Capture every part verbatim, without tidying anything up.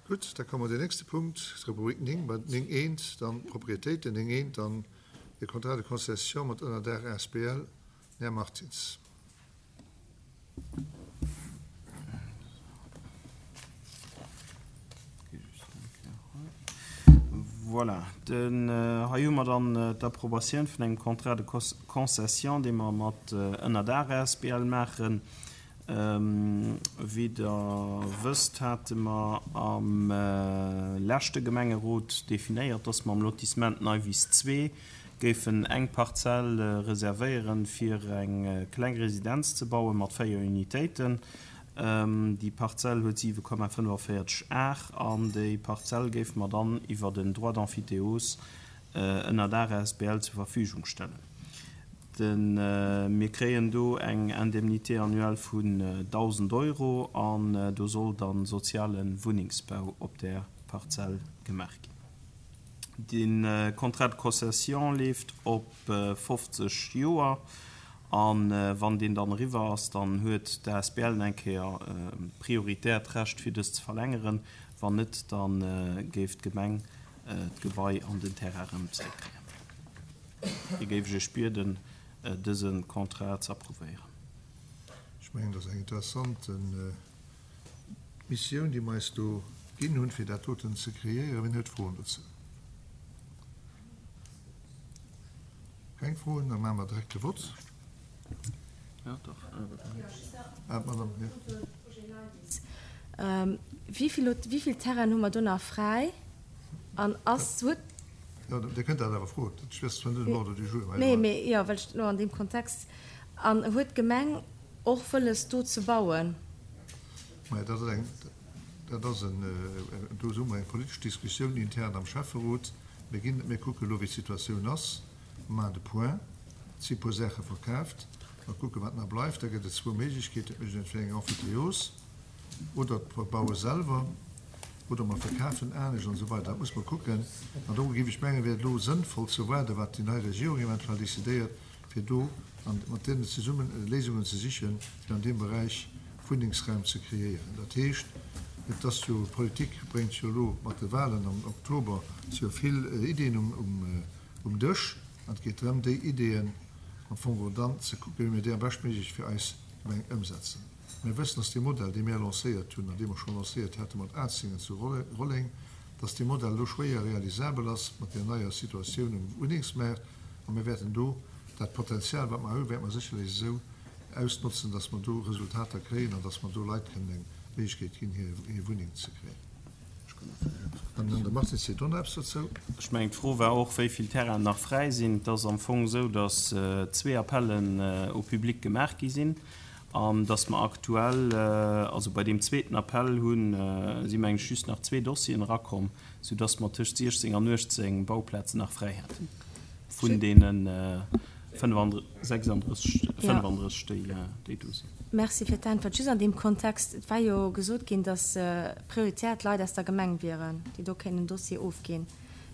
Gutt, da komme mer den nächste Punkt, d'Rubrik néng, bei néng eent dann d'Propriétéiten, néng eent dann de Contrat de concession mat Ënnerdaach asbl. Den Här Martins. Voilà, den, hei hu mer dann d'Approbatioun vun engem Contrat de concession, dee mer mat Ënnerdaach asbl maachen. Wéi Der wësst, hate mer am leschte Gemengerot definéiert, dass mer am Lotissement Neiwiss zwee géifen eng Parzell reservéieren, fir eng kleng Residenz ze baue mat véier Unitéiten. Déi Parzell huet siwe Komma fënnefenvéierzeg Ar an déi Parzell géife mer dann iwwer en Droit d'emphytéose ënner der asbl zur Verfügung stellen. Mir kréien do eng Indemnité annuelle vun dausend Euro an do soll dann soziale Wunnengsbau op där Parzell gemaach ginn. De Contrat de concession leeft op fofzeg Joer a wann deen dann eriwwer ass, dann huet d'asbl eng Kéier prioritäert Recht fir dës ze verlängeren. Wann net, da géif d'Gemeng d'Gebai an den Terrain erëm zeréckkréien. Hie géif ech Iech bieden, dëse Contrat ze approuvéieren. Ech mengen, dat ass eng interessant Missioun, déi mer eis do ginn hunn, fir dat doten ze kreéieren. Wien huet Froen dozou? Keng Froen? Da maache mer direkt de Vott. Ah, d'Madame, jo. Wéi vill Terrainen hu mer do nach fräi? An ass, huet. Jo, Dir kënnt dat awer froen. Dat ass zwar net um Ordre du jour, mä. Nee, mee jo, well ech elo an deem Kontext. An huet d'Gemeng och wëlles, do ze bauen? Mä dat ass eng, dat ass en, do hu mer eng politesch Diskussioun intern am Schäfferot. Mir ginn, mir kucken elo, wéi d'Situatioun ass. Mer maachen de Point. Et si puer Saache verkaaft. Mer kucken, wat nach bleift. Da gëtt et zwou Méiglechkeeten. Et mécht een entweder eng Emphytéose oder mer baue selwer oder mer verkafen anescht an esou weider. Dat muss mer kucken. An do géif ech mengen, wär et elo sënnvoll ze waarden, wat déi nei Regierung eventuell decidéiert, fir do mat deenen zesummen Léisungen ze sichen, fir an deem Beräich Wunnengsraum ze kreéieren. Dat heescht, et ass jo, d'Politik bréngt jo elo mat de Wahlen am Oktober si jo vill Iddien um Dësch an et geet drëm, déi Iddien am Fong geholl dann ze kucken, wéi mir déi am beschtméiglech fir eis Gemeng ëmsetzen. Mir wëssen, dass dee Modell, dee mir lancéiert hunn an dee mer scho lancéiert hate mat Atzingen zu Rolleng, dass dee Modell elo schwéier realisabel ass mat där neier Situatioun um Wunnengsmaart. A mir wäerten do dat Potenzial, wat mer hu, wäerte mer sécherlech esou ausnotzen, dass mer do Resultater kréien an dass mer do Leit kënnen eng Méiglechkeet ginn, hir Wunneng ze kréien. An dann de Martin seet och nach eppes dozou. Ech mengen, d'Fro war och, wéi vill Terrainen nach fräi sinn. Et ass am Fong esou, dass zwee Appellen au public gemaach gi sinn an dass mer aktuell, also bei deem zweeten Appell hunn, si mengen ech just nach zwee Dossieren erakomm, soudass mer tëscht siechzéng an uechtzéng Bauplazen nach fräi hätten vun deene sechsanddrësseg, déi do sinn. Merci fir d'Äntwert. Just an deem Kontext, et war jo gesot ginn, dass prioritär d'Leit aus der Gemeng wieren, déi do kéinten en Dossier ofginn.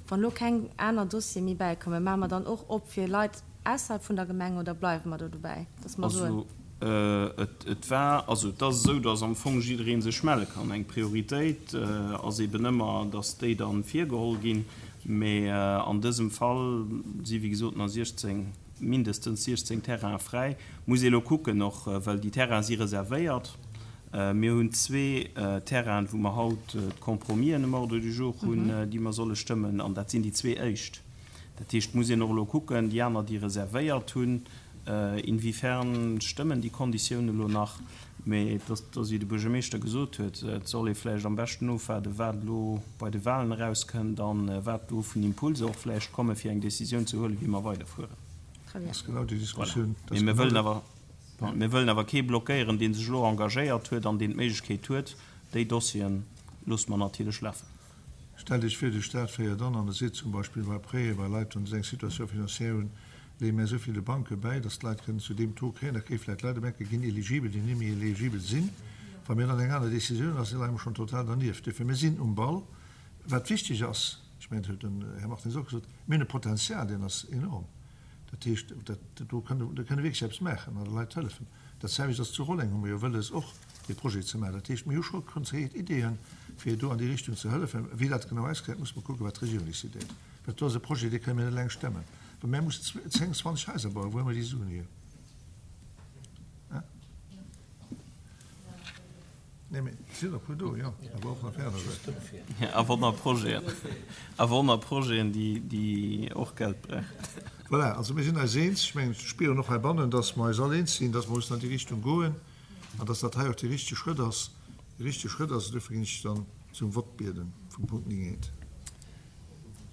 Wann elo keng aner Dossiere méi bäikommen, maache mer dann och op fir Leit ausserhalb vun der Gemeng oder bleiwe mer do dobäi, dass mer soen. Also et war, also et ass esou, dass am Fong jidderee sech melle kann. Eng Prioritéit ass eeben ëmmer, dass déi da virgeholl ginn. Mee an dësem Fall si wéi gesot nach siechzéng, mindestens siechzéng Terraine fräi. Muss ee elo kucken och, well déi Terraine si reservéiert. Mir hunn zwee Terrainen, wou mer haut d'Compromisen um Ordre du jour hunn, déi mer solle stëmmen, an dat sinn déi zwee éischt. Dat heescht, et muss een och elo kucken, déi aner, déi reservéiert hunn, inwiefern stëmmen déi Konditiounen elo nach. Mee et ass, wéi de Buergermeeschter gesot huet, et soll ee vläicht am beschten ofwaarden, wat elo bei de Wahlen erauskënnt an wat do vun Impulser och vläicht kommen, fir eng Décisioun ze huelen, wéi mer weiderfueren. Dat ass genau déi Diskussioun. Mee mir wëllen awer, mir wëllen awer kee blockéieren, dee sech elo engagéiert huet an deen d'Méiglechkeet huet. Déi Dossiere loosse mer natierlech lafen. Stellt Iech vir, de Stat féiert an an e seet zum Beispill bei Prêten, bei Leit, wann se eng Situation financière hunn, leeë mär esou vill de Banke bäi, dass d'Leit kënnen zu deem Taux kréien. Da kréie vläicht Leit op eng Kéier, ginn eligibel, déi net méi eligibel sinn. Wa mir dann eng aner Décisioun ass, leie mer schonn total dernieft. Duerfir, mir sinn um Ball. Wat wichteg ass, ech mengen, dat huet den Här Martins och gesot, mir hunn e Potenzial, deen ass enorm. Dat heescht, dat do kënne do kënne wierklech eppes maachen an de Leit hëllefen. Dat selwecht ass zu Rolleng, hu mer jo wëlles och dee Projet ze maachen. Dat heescht, mir hu scho konkret Ideeën, fir do an déi Richtung ze hëllefen. Wéi dat genau ausgesäit, muss mer kucken, wat d'Regierung decidéiert. Well do ass e Projet, dee kënne mir net eleng stemmen. Well mir mussen zéng, zwanzeg Haiser bauen. Wou hu mer déi Suen hier? Nee, mee et sinn der e puer do, jo, awer och nach fir aner Saachen. A wonner Projeten, a wonner Projeten, déi, déi och Geld brauchen. Voilà, also mir sinn eis eens. Ech mengen, ech spieren och heibannen, dass mer eis all eens sinn, dass mer mussen an déi Richtung goen an dass dat hei och dee richtege Schrëtt ass. Dee richtege Schrëtt ass. Duerfir ginn ech dann zum Vott bieden vum Punkt néng eent.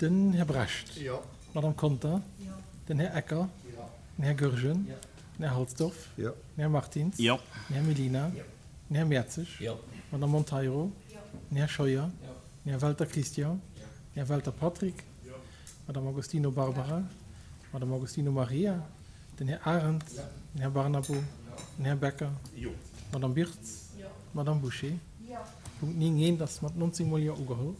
Den Här Brecht. Jo. D'Madame Conter. Jo. Den Här Ecker. Jo. Den Här Goergen. Jo. Den Här Halsdorf. Jo. Den Här Martins. Jo. Den Här Mellina. Jo. Den Här Mertzig. Jo. D'Madame Monteiro. Jo. Den Här Scheuer. Jo. Den Här Welter Christian. Jo. Den Här Welter Patrick. Jo. D'Madame Agostino Barbara. D'Madame Agostino Maria. Den Här Arendt. Jo. Den Här Barnabo. Jo. Den Här Becker. Jo. D'Madame Birtz. Jo. D'Madame Bouché. Jo. Punkt néng eent ass mat nonzéng Mol Jo ugeholl.